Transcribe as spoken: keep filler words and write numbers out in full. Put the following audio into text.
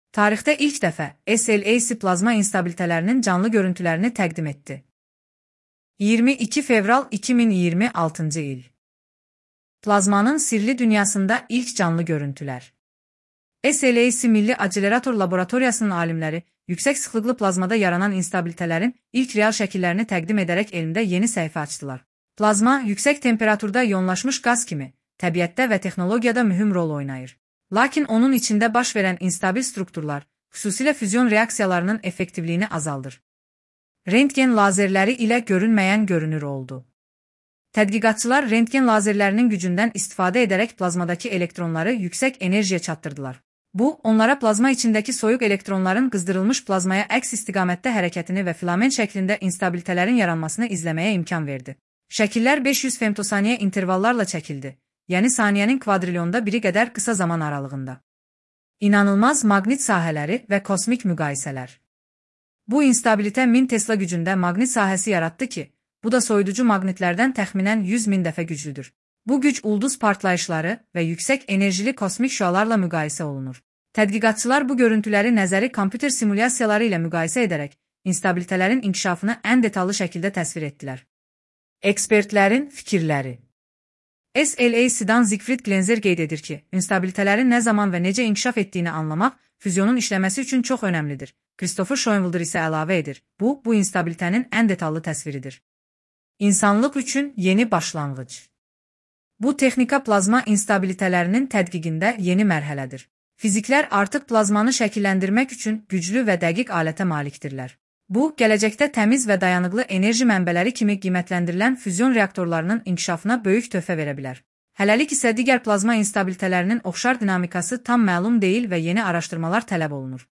Tarixdə ilk dəfə S L A C plazma instabilitelərinin canlı görüntülərini təqdim etdi. iyirmi iki fevral iki min iyirmi altıncı il. Plazmanın sirli dünyasında ilk canlı görüntülər. S L A C Milli Akselerator Laboratoriyasının alimləri yüksək sıxlıqlı plazmada yaranan instabilitələrin ilk real şəkillərini təqdim edərək elmdə yeni səhifə açdılar. Plazma, yüksək temperaturda iyonlaşmış qaz kimi, təbiətdə və texnologiyada mühüm rol oynayır. Lakin onun içində baş verən instabil strukturlar, xüsusilə füzyon reaksiyalarının effektivliyini azaldır. Rentgen lazerləri ilə görünməyən görünür oldu. Tədqiqatçılar rentgen lazerlərinin gücündən istifadə edərək plazmadakı elektronları yüksək enerjiyə çatdırdılar. Bu, onlara plazma içindəki soyuq elektronların qızdırılmış plazmaya əks istiqamətdə hərəkətini və filament şəklində instabilitələrin yaranmasını izləməyə imkan verdi. Şəkillər beş yüz femtosaniyə intervallarla çəkildi, yəni saniyənin kvadrilyonda biri qədər qısa zaman aralığında. İnanılmaz maqnit sahələri və kosmik müqayisələr. Bu instabilitə min Tesla gücündə maqnit sahəsi yaratdı ki, bu da soyuducu maqnitlərdən təxminən yüz min dəfə güclüdür. Bu güc ulduz partlayışları və yüksək enerjili kosmik şüalarla müqayisə olunur. Tədqiqatçılar bu görüntüləri nəzəri kompüter simulyasiyaları ilə müqayisə edərək instabilitələrin inkişafını ən detallı şəkildə təsvir etdilər. Ekspertlərin fikirləri. S L A C-dan Siegfried Glenzer qeyd edir ki, instabilitələrin nə zaman və necə inkişaf etdiyini anlamaq füzyonun işləməsi üçün çox önəmlidir. Christopher Schoenwalder isə əlavə edir, bu, bu instabilitənin ən detallı təsviridir. İnsanlıq üçün yeni başlanğıc. Bu texnika plazma instabilitələrinin tədqiqində yeni mərhələdir. Fiziklər artıq plazmanı şəkilləndirmək üçün güclü və dəqiq alətə malikdirlər. Bu, gələcəkdə təmiz və dayanıqlı enerji mənbələri kimi qiymətləndirilən füzyon reaktorlarının inkişafına böyük töhfə verə bilər. Hələlik isə digər plazma instabilitələrinin oxşar dinamikası tam məlum deyil və yeni araşdırmalar tələb olunur.